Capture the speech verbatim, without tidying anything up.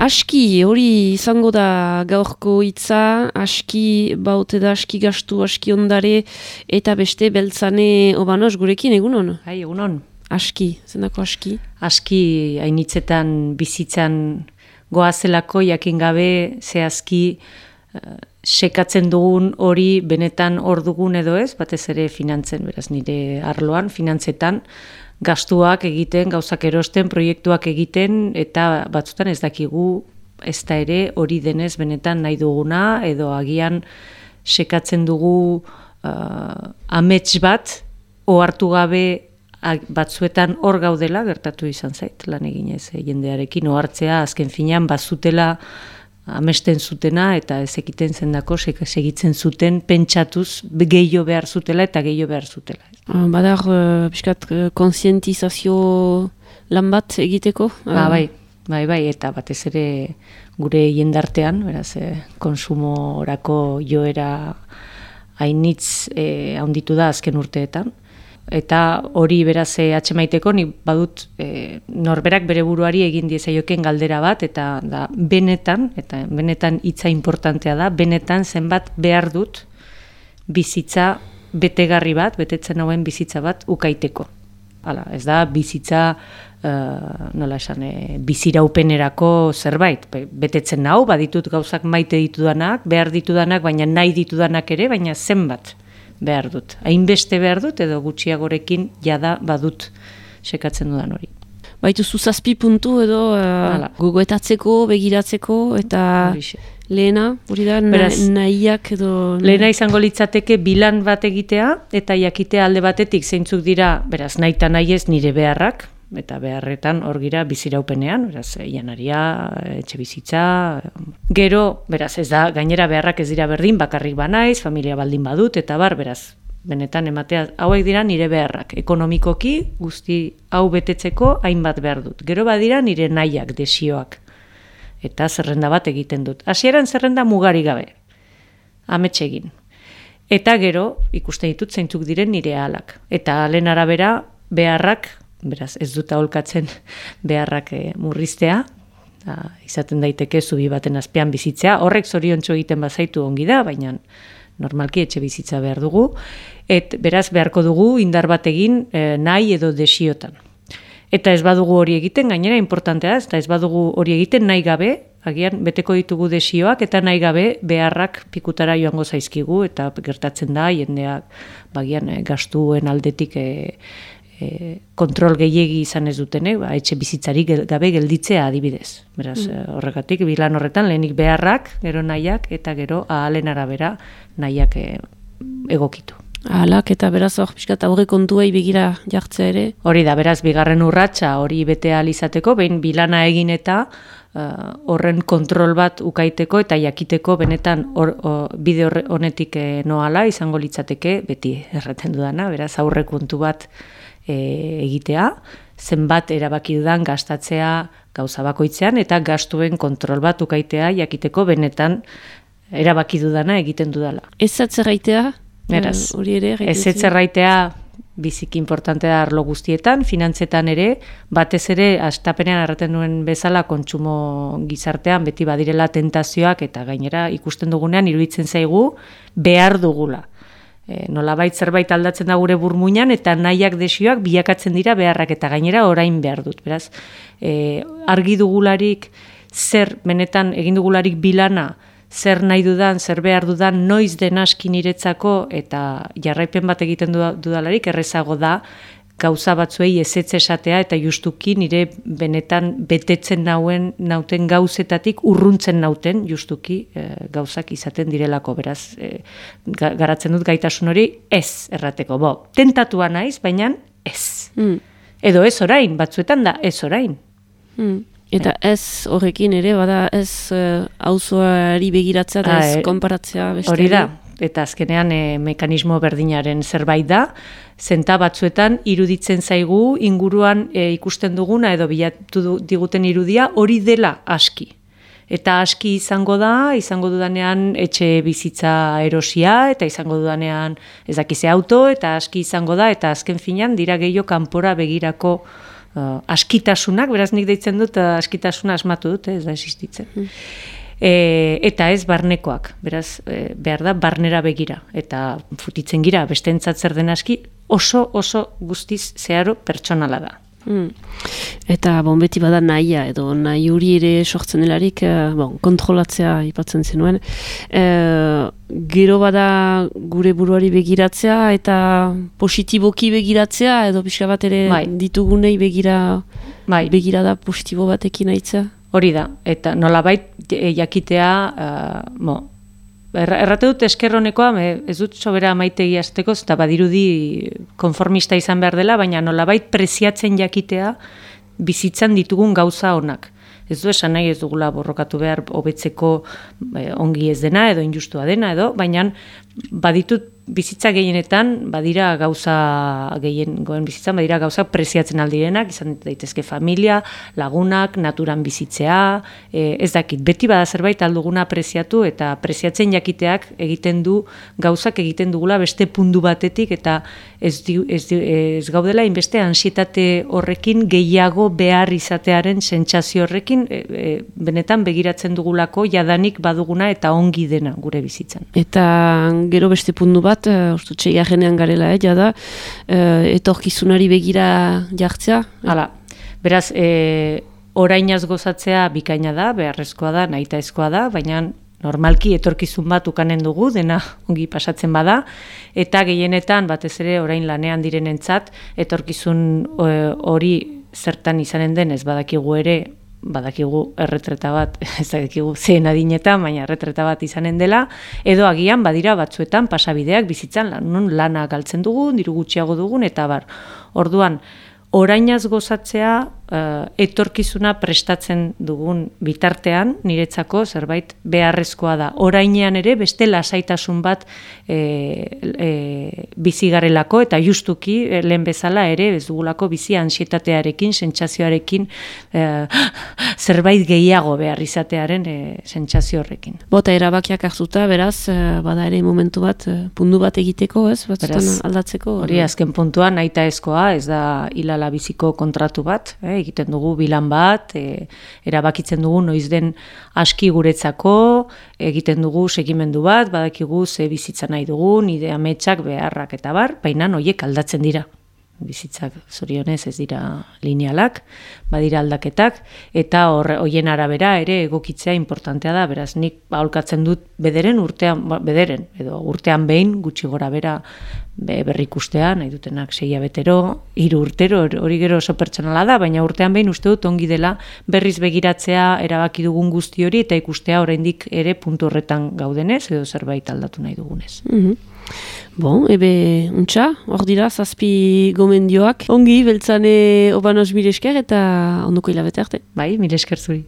Aski, hori izango da gaurko hitza, aski baute da, aski gastu, aski ondare, eta beste beltzane obanoz gurekin, egunon? Hai, egunon. Aski, zendako aski? Aski hainitzetan bizitzan goazelako jakin gabe zehazki uh, sekatzen dugun hori benetan hor dugun edo ez, batez ere finantzen, beraz nire arloan, finantzetan, gastuak egiten, gauzak erosten, proiektuak egiten, eta batzutan ez dakigu ez da ere hori denez benetan nahi duguna, edo agian sekatzen dugu uh, amets bat, ohartu gabe batzuetan hor gaudela, gertatu izan zait, lan eginez e, jendearekin, ohartzea azken finean bazutela amesten zutena eta ez ekiten zendako segitzen zuten pentsatuz gehiago behar zutela eta gehiago behar zutela. Badar, uh, piskat, uh, konsientizazio lan bat egiteko? Ba, bai, bai, bai, eta batez ere gure jendartean, beraz, eh, konsumorako joera hainitz eh, handitu da azken urteetan. Eta hori beraz atxemaiteko nik badut e, norberak bere buruari egin diezaioken galdera bat, eta da benetan, eta benetan hitza importantea da, benetan zenbat behar dut bizitza betegarri bat, betetzen hauen bizitza bat ukaiteko. Hala, ez da bizitza uh, nola esan, e, biziraupenerako zerbait, betetzen hau, baditut gauzak maite ditudanak, behar ditudanak, baina nahi ditudanak ere, baina zenbat behar dut. Hainbeste behar dut edo gutxiagorekin jada badut sekatzen dudan hori. Baitu zazpi puntu edo uh, gogoetatzeko, begiratzeko eta Horixe. Lehena, hori da, Beraz, nahiak edo... Lehena izango litzateke bilan bat egitea eta jakitea alde batetik zeintzuk dira, beraz, nahi eta nahi ez nire beharrak, eta beharretan hor gira biziraupenean, beraz, janaria, etxe bizitza, gero, beraz, ez da, gainera beharrak ez dira berdin, bakarrik banaiz, familia baldin badut, eta bar, beraz, benetan ematea, hauek dira nire beharrak, ekonomikoki, guzti hau betetzeko hainbat behar dut. Gero badira nire nahiak, desioak, eta zerrenda bat egiten dut. Hasieran zerrenda mugari gabe, amets egin. Eta gero, ikusten ditut zeintzuk diren nire ahalak. Eta ahalen arabera, beharrak, beraz, ez dut aholkatzen beharrak e, murriztea, da, izaten daiteke zubi baten azpian bizitzea, horrek zoriontsu egiten bazaitu ongi da, baina normalki etxe bizitza behar dugu, et beraz beharko dugu indar bat egin e, nahi edo desiotan. Eta ez badugu hori egiten, gainera importantea ez, eta ez badugu hori egiten nahi gabe, agian beteko ditugu desioak, eta nahi gabe beharrak pikutara joango zaizkigu, eta gertatzen da, jendeak bagian e, gastuen aldetik e, E, kontrol gehiegi izan ez dutenek, ba, etxe bizitzarik gabe gelditzea adibidez. Beraz, mm. horregatik, bilan horretan lehenik beharrak, gero nahiak, eta gero ahalen arabera nahiak e, egokitu. Ahalak eta beraz hor, pixkat aurre kontuei begira jartzea ere? Hori da, beraz, bigarren urratsa hori bete ahal izateko, behin bilana egin eta uh, horren kontrol bat ukaiteko eta jakiteko benetan or, or, bide honetik e, noala izango litzateke, beti erraten dudana, beraz, aurre kontu bat E, egitea, zenbat erabaki dudan gastatzea gauza bakoitzean eta gastuen kontrol bat ukaitea jakiteko benetan erabaki dudana egiten dudala. Ez atzerraitea? Beraz, hori ere? Ez atzerraitea biziki importantea da arlo guztietan, finantzetan ere, batez ere hastapenean erraten duen bezala kontsumo gizartean beti badirela tentazioak eta gainera ikusten dugunean iruditzen zaigu behar dugula. E, nolabait zerbait aldatzen da gure burmuinan eta nahiak desioak bilakatzen dira beharrak eta gainera orain behar dut. Beraz, e, argi dugularik zer benetan egin dugularik bilana, zer nahi dudan, zer behar dudan, noiz den aski niretzako eta jarraipen bat egiten dudalarik errezago da gauza batzuei ezetz esatea eta justuki nire benetan betetzen nauen nauten gauzetatik urruntzen nauten justuki e, gauzak izaten direlako, beraz e, garatzen dut gaitasun hori ez errateko, bo, tentatua naiz, baina ez. Mm. Edo ez orain, batzuetan da ez orain. Mm. Eta ez horrekin ere, bada ez auzoari begiratzea da ez konparatzea beste. Hori da. Eta azkenean e, mekanismo berdinaren zerbait da, zenta batzuetan iruditzen zaigu inguruan e, ikusten duguna edo bilatu diguten irudia hori dela aski. Eta aski izango da, izango dudanean etxe bizitza erosia, eta izango dudanean ez dakize auto, eta aski izango da, eta azken finean dira gehiago kanpora begirako uh, askitasunak, beraz nik deitzen dut, uh, askitasuna asmatu dut, eh, ez da existitzen. Mm. E, eta ez barnekoak, beraz, e, behar da barnera begira, eta futitzen gira, bestentzat zer den aski, oso, oso guztiz zeharo pertsonala da. Mm. Eta bon, beti bada nahia, edo nahi huri ere sortzen delarik, eh, bon, kontrolatzea ipatzen zenuen. Eh, gero bada gure buruari begiratzea, eta positiboki begiratzea, edo pixka bat ere bai. Ditugunei begira, bai. Begira da positibo batekin aitzea. Hori da, eta nolabait jakitea, uh, mo, errate dut eskerronekoa, ez dut sobera maitegi azteko, eta badirudi konformista izan behar dela, baina nolabait preziatzen jakitea bizitzan ditugun gauza honak. Ez du esan nahi ez dugula borrokatu behar hobetzeko eh, ongi ez dena, edo injustua dena, edo, baina baditut bizitza gehienetan, badira gauza gehien goen bizitzan, badira gauza preziatzen aldirenak, izan daitezke familia, lagunak, naturan bizitzea, e, ez dakit, beti bada zerbait alduguna preziatu, eta preziatzen jakiteak egiten du, gauzak egiten dugula beste pundu batetik, eta ez, di, ez, di, ez gaudela inbeste ansietate horrekin gehiago behar izatearen sentsazio horrekin, e, e, benetan begiratzen dugulako jadanik baduguna eta ongi dena gure bizitzan. Eta gero beste pundu bat, uste txeigarrenean garela, eh, jada, eh, etorkizunari begira jartzea. Hala, beraz, e, orainaz gozatzea bikaina da, beharrezkoa da, nahitaezkoa da, baina normalki etorkizun bat ukanen dugu, dena ongi pasatzen bada, eta gehienetan, batez ere, orain lanean direnentzat, etorkizun hori zertan izanen den, ez badakigu ere, badakigu erretreta bat, ez dakigu zehen adinetan, baina erretreta bat izanen dela, edo agian badira batzuetan pasabideak bizitzan, non lana galtzen dugun, diru gutxiago dugun, eta bar. Orduan, orainaz gozatzea, uh, etorkizuna prestatzen dugun bitartean, niretzako zerbait beharrezkoa da. Orainean ere beste lasaitasun bat e, e, bizigarelako, eta justuki e, lehen bezala ere ez dugulako bizi ansietatearekin, sentsazioarekin, e, zerbait gehiago behar izatearen e, sentsazio horrekin. Bota erabakiak hartuta, beraz, bada ere momentu bat, pundu bat egiteko, ez? Batzutan aldatzeko? Hori, azken puntuan, nahitaezkoa, ez da hilala biziko kontratu bat, eh? Egiten dugu bilan bat, e, erabakitzen dugu noiz den aski guretzako, egiten dugu segimendu bat, badakigu ze bizitza nahi dugun, ide ametsak, beharrak eta bar, baina horiek aldatzen dira. Bizitzak zorionez ez dira linealak, badira aldaketak, eta horien arabera ere egokitzea importantea da, beraz nik aholkatzen dut bederen urtean, bederen, edo urtean behin, gutxi gora bera berrikustea, nahi dutenak sei hilabetero, hiru urtero, hori gero oso pertsonala da, baina urtean behin uste dut ongi dela berriz begiratzea erabaki dugun guzti hori, eta ikustea oraindik ere puntu horretan gaudenez, edo zerbait aldatu nahi dugunez. Mm-hmm. Bon, ebe, untxa, hor dira, zazpi gomendioak. Ongi, beltzane obanos mire esker eta ondoko hilabete arte. Bai, mire esker zuri.